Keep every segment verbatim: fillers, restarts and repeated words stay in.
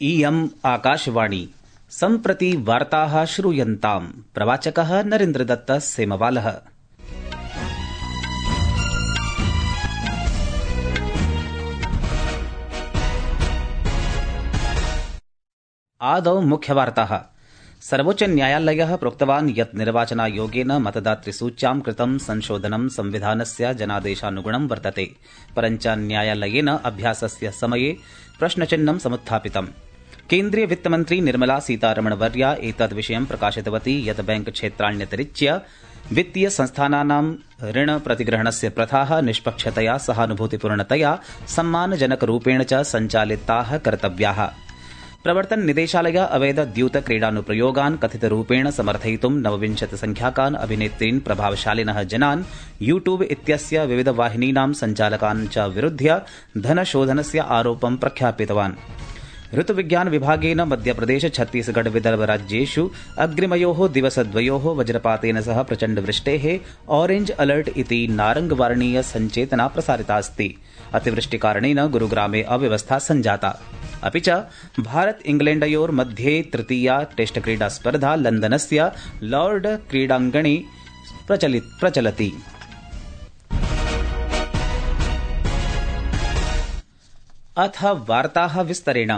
इयम् आकाशवाणी सम्प्रति वार्ताः श्रूयन्ताम्। प्रवाचकः नरेन्द्रदत्त सेमवालः। आदौ मुख्यवार्ताः। सर्वोच्च न्यायालयः प्रोक्तवान् यत् निर्वाचनायोगेन मतदातृसूच्यां कृतं संशोधनं संविधानस्य जनादेशानुगुणं वर्तते, परञ्च न्यायालयेन अभ्यासस्य समये प्रश्नचिह्नं समुत्थापितम्। केन्द्रीय वित्तमन्त्री निर्मला सीतारमणवर्या एतद् विषयं प्रकाशितवती यत् बैंक क्षेत्राण्यतिरिच्य वित्तीय संस्थानानां ऋण प्रतिग्रहणस्य प्रथाः निष्पक्षतया सहानुभूतिपूर्णतया सम्मानजनकरूपेण च सञ्चालिताः कर्तव्याः। प्रवर्तन निदेशालय अवैध द्यूत क्रीडानुप्रयोगान् कथितरूपेण समर्थयितुं नवविंशति संख्याकान् अभिनेत्रीन् प्रभावशालिनः जनान् यूट्यूब इत्यस्य विविध वाहिनीनां सञ्चालकान् च विरुध्य धनशोधनस्य आरोपं प्रख्यापितवान्। ऋतुविज्ञान विभागेन मध्यप्रदेश छत्तीसगढ़ विदर्भ राज्येषु अग्रिमयोः दिवसद्वयोः वज्रपातेन सह प्रचण्डवृष्टेः ऑरेंज अलर्ट इति नारंगवार्णीय सञ्चेतना प्रसारितास्ति। अतिवृष्टिकारणेन गुरुग्रामे अव्यवस्था सञ्जाता। अपि च भारत इंग्लैण्डयोर्मध्ये तृतीया टेस्ट क्रीडा स्पर्धा लन्दनस्य लॉर्ड क्रीडाङ्गणे प्रचलति। अथ वार्ताः विस्तरेण।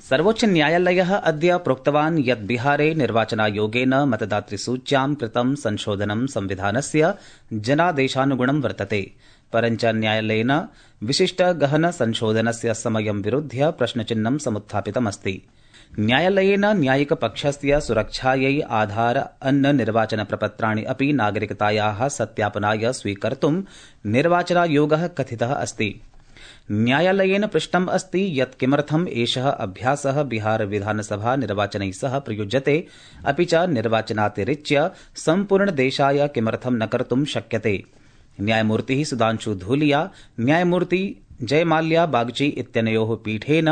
सर्वोच्च न्यायालयः अद्य प्रोक्तवान् यत् बिहारे निर्वाचनायोगेन मतदातृसूच्यां कृतं संशोधनं संविधानस्य जनादेशानुगुणं वर्तते, परञ्च न्यायालयेन विशिष्ट गहन संशोधनस्य समयं विरुध्य प्रश्नचिह्नं समुत्थापितमस्ति। न्यायालयेन न्यायिकपक्षस्य सुरक्षायै आधार अन्न निर्वाचन प्रपत्राणि अपि नागरिकतायाः सत्यापनाय स्वीकर्तुं निर्वाचनायोगः कथितः अस्ति। न्यायालयेन पृष्टम् अस्ति यत् किमर्थम् एषः अभ्यासः बिहार विधानसभा निर्वाचनैः सह प्रयुज्यते, अपि च निर्वाचनातिरिच्य सम्पूर्णदेशाय किमर्थं न कर्तुं शक्यते। न्यायमूर्तिः सुधांशु धूलिया न्यायमूर्ति जयमाल्या बागची इत्यनयोः पीठेन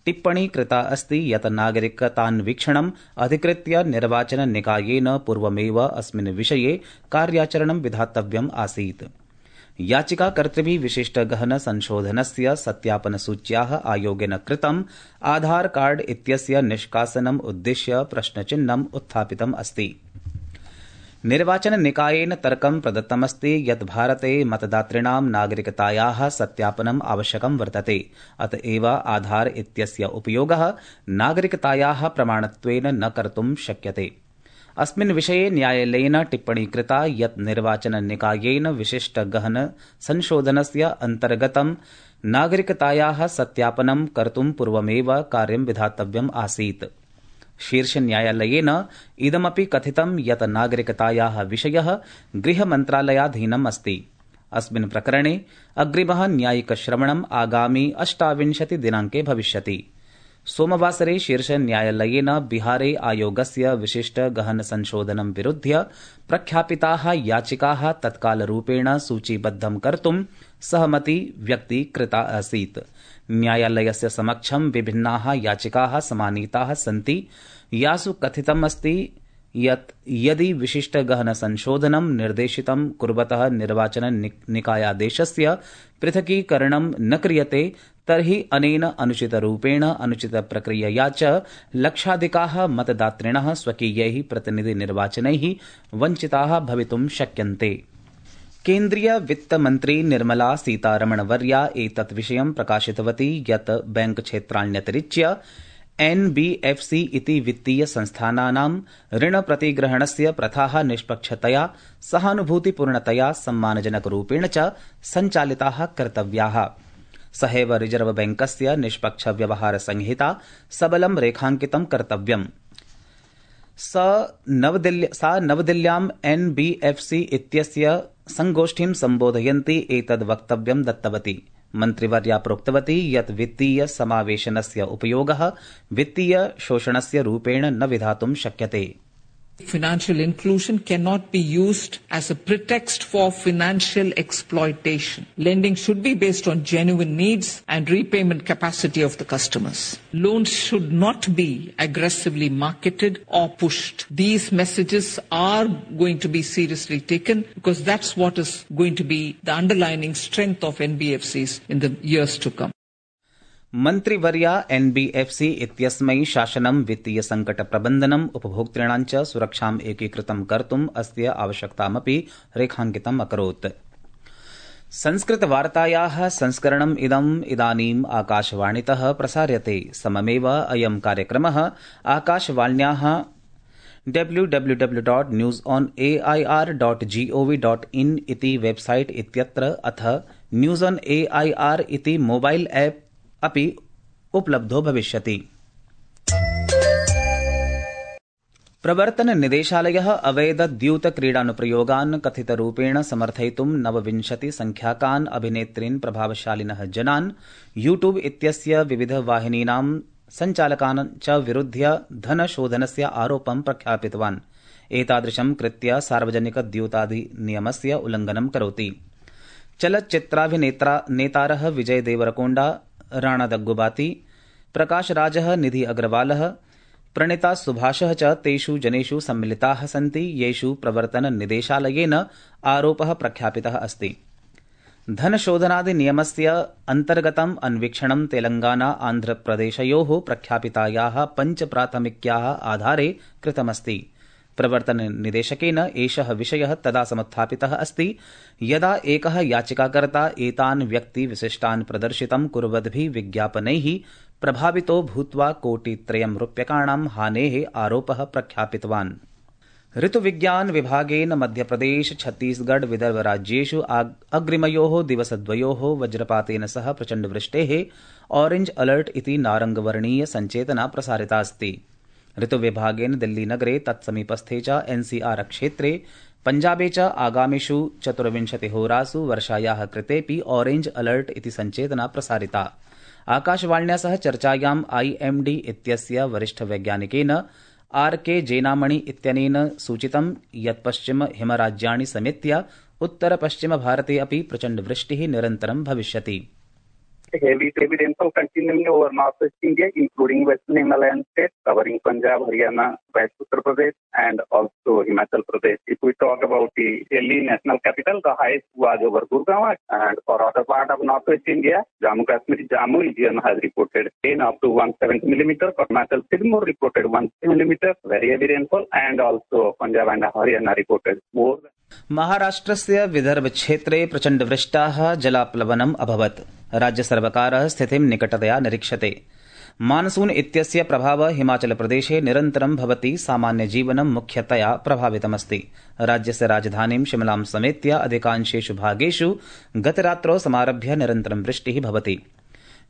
टिप्पणी कृता अस्ति यत् नागरिकतान्वीक्षणम् अधिकृत्य निर्वाचन निकायेन पूर्वमेव अस्मिन् विषये कार्याचरणं विधातव्यम् आसीत्। याचिकाकर्तृभिः विशिष्ट गहन संशोधनस्य सत्यापनसूच्याः आयोगेन कृतम् आधार कार्ड इत्यस्य निष्कासनम् उद्दिश्य प्रश्नचिह्नम् उत्थापितम् अस्ति। निर्वाचन निकायेन तर्कं प्रदत्तमस्ति यत् भारते मतदातॄणां नागरिकतायाः सत्यापनम् आवश्यकं वर्तते, अत एव आधार इत्यस्य उपयोगः नागरिकतायाः प्रमाणत्वेन न कर्तुं शक्यते। अस्मिन् विषये न्यायालयेन टिप्पणी कृता यत् निर्वाचन निकायेन विशिष्ट गहन संशोधनस्य अन्तर्गतं नागरिकतायाः सत्यापनं कर्तुं पूर्वमेव कार्यं विधातव्यम् आसीत्। शीर्षन्यायालयेन इदमपि कथितं यत् नागरिकतायाः विषयः गृहमन्त्रालयाधीनम् अस्ति। अस्मिन् प्रकरणे अग्रिमः न्यायिकश्रवणम् आगामि अष्टाविंशति दिनाङ्के भविष्यति। सोमवासरे शीर्षन्यायालयेन बिहारे आयोगस्य विशिष्ट गहन संशोधनं विरुध्य प्रख्यापिताः याचिकाः तत्कालरूपेण सूचीबद्धं कर्तुं सहमति व्यक्तीकृता आसीत्। न्यायालयस्य समक्षं विभिन्नाः याचिकाः समानीताः सन्ति, यासु कथितमस्ति यत् यदि विशिष्ट गहन संशोधनं निर्देशितं कुर्वतः निर्वाचन निकायादेशस्य पृथकीकरणं न क्रियते तर्हि अनेन अनुचितरूपेण अनुचितप्रक्रियया च लक्षाधिकाः मतदातृणः स्वकीयैः प्रतिनिधिनिर्वाचनैः वञ्चिताः भवितुं शक्यन्ते। केन्द्रीय वित्तमन्त्री निर्मला सीतारमणवर्या एतत् विषयं प्रकाशितवती यत् बैंक क्षेत्राण्यतिरिच्य एनबीएफसी इति वित्तीय संस्थानानां ऋण प्रतिग्रहणस्य प्रथाः निष्पक्षतया सहानुभूतिपूर्णतया सम्मानजनकरूपेण च सञ्चालिताः कर्तव्याः। सहैव रिजर्व बैंकस्य निष्पक्ष व्यवहार संहिता सबलं रेखाङ्कितं कर्तव्यम्। सा नवदिल्ल्याम् एनबीएफसी इत्यस्य संगोष्ठीं सम्बोधयन्ती एतद् वक्तव्यं दत्तवती। मन्त्रिवर्या प्रोक्तवती यत् वित्तीय समावेशनस्य उपयोगः वित्तीय शोषणस्य रूपेण न विधातुं शक्यते। Financial inclusion cannot be used as a pretext for financial exploitation. Lending should be based on genuine needs and repayment capacity of the customers. Loans should not be aggressively marketed or pushed. These messages are going to be seriously taken because that's what is going to be the underlying strength of N B F Cs in the years to come. मन्त्रिवर्या NBFC इत्यस्मै शासनं वित्तीय संकट प्रबन्धनम् उपभोक्तॄणां च सुरक्षाम् एकीकृतं कर्तुम् अस्य आवश्यकतामपि रेखाङ्कितम् अकरोत्। संस्कृतवार्तायाः संस्करणम् इदम् इदानीम् आकाशवाणीतः प्रसार्यते। सममेव अयं कार्यक्रमः आकाशवाण्याः W W W dot news on A I R dot G O V dot in इति वेबसाइट इत्यत्र अथ news on A I R इति मोबाइल ऐप अपि उपलब्धो भविष्यति। प्रवर्तन निदेशालयः अवैध द्यूत क्रीडानुप्रयोगान् कथितरूपेण समर्थयितुं नवविंशति संख्याकान् अभिनेत्रीन् प्रभावशालिनः जनान् यूट्यूब इत्यस्य विविधवाहिनीनां संचालकान् च विरुध्य धनशोधनस्य आरोपं प्रख्यापितवान्। एतादृशं कृत्य सार्वजनिक द्यूताधिनियमस्य उल्लङ्घनं करोति। चलच्चित्राभिनेत्रा नेतारः विजय देवरकोण्डा, राणा दग्गुबाती, प्रकाशराजः, निधि अग्रवालः, प्रणिता सुभाषः च तेषु जनेषु सम्मिलिताः सन्ति येषु प्रवर्तन निदेशालयेन आरोपः प्रख्यापितः अस्ति। धनशोधनाधिनियमस्य अन्तर्गतम् अन्वीक्षणं तेलंगाना आन्ध्रप्रदेशयोः प्रख्यापितायाः पञ्च प्राथमिक्याः आधारे कृतमस्ति। प्रवर्तन निदेशकेन एषः विषयः तदा समुत्थापितः अस्ति यदा एकः याचिकाकर्ता एतान् व्यक्ति विशिष्टान् प्रदर्शितं कुर्वद्भिः विज्ञापनैः प्रभावितो भूत्वा कोटित्रयं रूप्यकाणां हानेः आरोपः प्रख्यापितवान्। ऋतुविज्ञान विभागेन मध्यप्रदेश, छत्तीसगढ़, विदर्भ राज्येषु अग्रिमयोः दिवसद्वयोः वज्रपातेन सह प्रचण्डवृष्टेः ऑरेंज अलर्ट इति नारङ्गवर्णीय सञ्चेतना प्रसारिता अस्ति। ऋतुविभागेन दिल्लीनगरे तत्समीपस्थे च एनसीआर क्षेत्रे पञ्जाबे च आगामिषु चतुर्विंशतिहोरासु वर्षायाः कृतेऽपि ऑरेंज अलर्ट इति सञ्चेतना प्रसारिता। आकाशवाण्या सह चर्चायाम् आईएमडी इत्यस्य वरिष्ठवैज्ञानिकेन आर के जेनामणि इत्यनेन सूचितं यत् पश्चिम हिमराज्याणि समेत्य उत्तर पश्चिम भारते अपि प्रचण्डवृष्टिः निरन्तरं भविष्यति। Heavy, heavy rainfall continuing over northwest India, including western Himalayan states, covering Punjab, Haryana, West Uttar Pradesh, and also Himachal Pradesh. If we talk about the Delhi national capital, the highest was over Gurgaon, and for other part of northwest India, Jammu Kashmir, Jammu region has reported rain up to one hundred seventy millimeters. Arunachal Pradesh reported one hundred millimeters, very heavy rainfall, and also Punjab and Haryana reported more. महाराष्ट्रस्य विदर्भ क्षेत्रे प्रचण्डवृष्टाः जलाप्लवनम् अभवत्। राज्यसर्वकारः स्थितिं निकटतया निरीक्षते। Monsoon इत्यस्य प्रभावः हिमाचलप्रदेशे निरन्तरं भवति। सामान्यजीवनं मुख्यतया प्रभावितमस्ति। राज्यस्य राजधानीं शिमलां समेत्य अधिकांशेषु भागेषु गतरात्रौ समारभ्य निरन्तरं वृष्टिः भवति।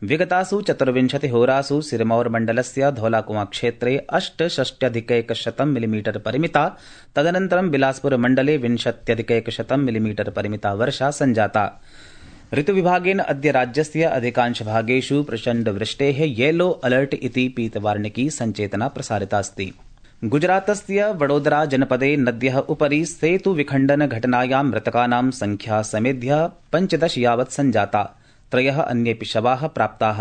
विगतासु चतुर्विंशतिहोरासु सिरमौर मण्डलस्य धौलाकुआं क्षेत्रे अष्टषष्ट्यधिकैकशतं मिलिमीटर परिमिता, तदनन्तरं बिलासपुर मण्डले विंशत्यधिकैकशतं मिलिमीटर परिमिता वर्षा सञ्जाता। ऋतुविभागेन अद्य राज्यस्य अधिकांशभागेषु प्रचण्डवृष्टेः येलो अलर्ट इति पीतवार्णिकी सञ्चेतना प्रसारितास्ति। गुजरातस्य वडोदरा जनपदे नद्यः उपरि सेतुविखण्डन घटनायां मृतकानां संख्या समेध्य पञ्चदश यावत् सञ्जाता। त्रयः अन्येऽपि शवाः प्राप्ताः।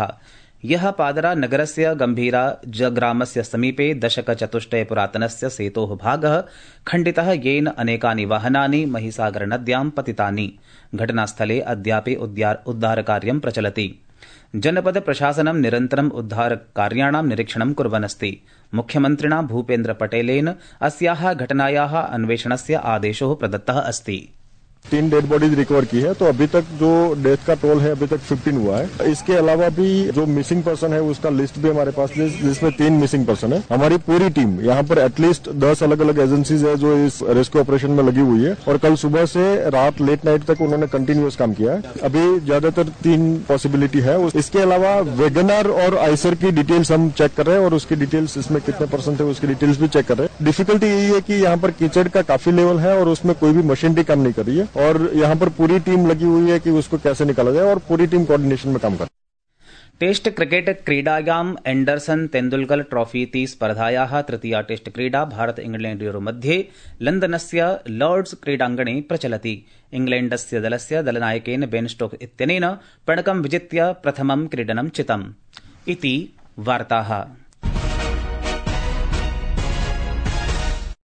यः पादरा नगरस्य गम्भीरा ग्रामस्य समीपे दशकचतुष्टय पुरातनस्य सेतोः भागः खण्डितः, येन अनेकानि वाहनानि महिसागर नद्यां पतितानि। घटनास्थले अद्यापि उद्धारकार्यं प्रचलति। जनपद प्रशासनं निरन्तरम् उद्धारकार्याणां निरीक्षणं कुर्वन्नस्ति। मुख्यमन्त्रिणा भूपेन्द्र पटेलेन अस्याः घटनायाः अन्वेषणस्य आदेशो प्रदत्तः अस्ति। तीन डेड बॉडीज रिकवर की है, तो अभी तक जो डेथ का टोल है अभी तक फिफ्टीन हुआ है। इसके अलावा भी जो मिसिंग पर्सन है उसका लिस्ट भी हमारे पास है, जिसमें तीन मिसिंग पर्सन है। हमारी पूरी टीम यहाँ पर एटलीस्ट दस अलग अलग एजेंसीज है जो इस रेस्क्यू ऑपरेशन में लगी हुई है, और कल सुबह से रात लेट नाइट तक उन्होंने कंटिन्यूअस काम किया है। अभी ज्यादातर तीन पॉसिबिलिटी है। इसके अलावा वेगनर और आइसर की डिटेल्स हम चेक कर रहे हैं, और उसकी डिटेल्स इसमें कितने परसेंट है उसकी डिटेल्स भी चेक कर रहे हैं। डिफिकल्टी यही है कि यहाँ पर कीचड़ का काफी लेवल है और उसमें कोई भी मशीनरी काम नहीं कर रही है, और यहाँ पर पूरी टीम लगी हुई है कि उसको कैसे निकाला जाए, और पूरी टीम कोऑर्डिनेशन में काम कर। टेस्ट क्रिकेट क्रीडायाम् एंडरसन तेंदुलकर ट्रॉफी इति स्पर्धायाः तृतीया टेस्ट क्रीडा भारत इंग्लैण्डयोः मध्ये लन्दनस्य लॉर्ड्स क्रीडाङ्गणे प्रचलति। इंग्लैण्डस्य दलस्य दलनायकेन बेन स्टोक्स इत्यनेन पणकं विजित्य प्रथमं क्रीडनं चितम्। इति वार्ताः।